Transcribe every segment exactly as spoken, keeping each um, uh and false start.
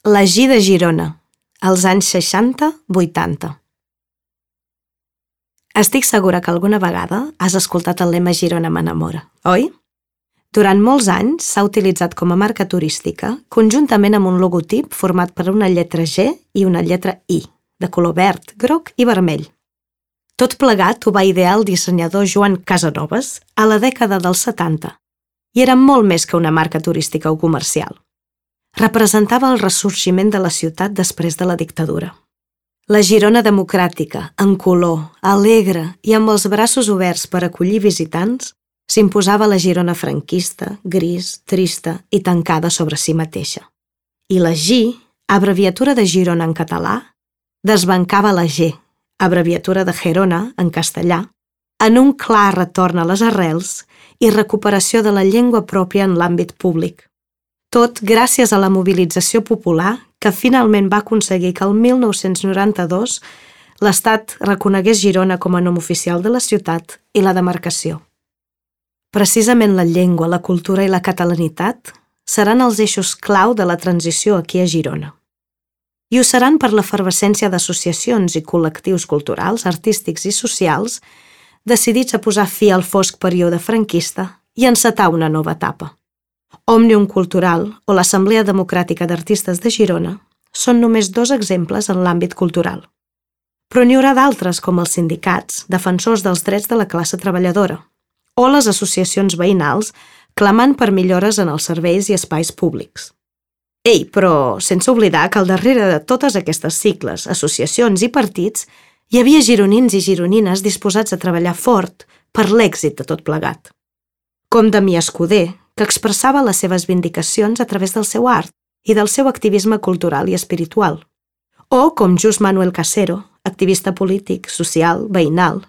La G de Girona, als anys seixanta vuitanta. Estic segura que alguna vegada has escoltat el lema Girona m'enamora, oi? Durant molts anys s'ha utilitzat com a marca turística, conjuntament amb un logotip format per una lletra G i una lletra I, de color verd, groc i vermell. Tot plegat ho va idear el dissenyador Joan Casanovas a la dècada dels setanta, i era molt més que una marca turística o comercial. Representava el ressorgiment de la ciutat després de la dictadura. La Girona democràtica, en color, alegre i amb els braços oberts per acollir visitants, s'imposava la Girona franquista, gris, trista i tancada sobre si mateixa. I la G, abreviatura de Girona en català, desbancava la G, abreviatura de Gerona en castellà, en un clar retorn a les arrels i recuperació de la llengua pròpia en l'àmbit públic. Tot gràcies a la mobilització popular que finalment va aconseguir que el mil nou-cents noranta-dos l'Estat reconegués Girona com a nom oficial de la ciutat i la demarcació. Precisament la llengua, la cultura i la catalanitat seran els eixos clau de la transició aquí a Girona. I ho seran per l'efervescència d'associacions i col·lectius culturals, artístics i socials decidits a posar fi al fosc període franquista i encetar una nova etapa. Òmnium Cultural o l'Assemblea Democràtica d'Artistes de Girona són només dos exemples en l'àmbit cultural. Però n'hi haurà d'altres com els sindicats, defensors dels drets de la classe treballadora, o les associacions veïnals clamant per millores en els serveis i espais públics. Ei, però sense oblidar que al darrere de totes aquestes sigles, associacions i partits hi havia gironins i gironines disposats a treballar fort per l'èxit de tot plegat. Com Damià Escudé, que expressava les seves vindicacions a través del seu art i del seu activisme cultural i espiritual. O com Just Manuel Casero, activista polític, social, veïnal.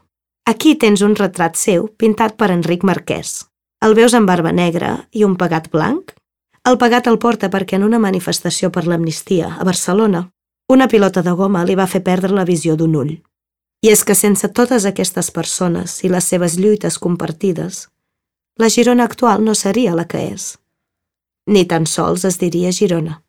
Aquí tens un retrat seu pintat per Enric Marquès. El veus amb barba negra i un pegat blanc? El pegat el porta perquè en una manifestació per l'amnistia a Barcelona, una pilota de goma li va fer perdre la visió d'un ull. I és que sense totes aquestes persones i les seves lluites compartides, la Girona actual no seria la que és. Ni tan sols es diria Girona.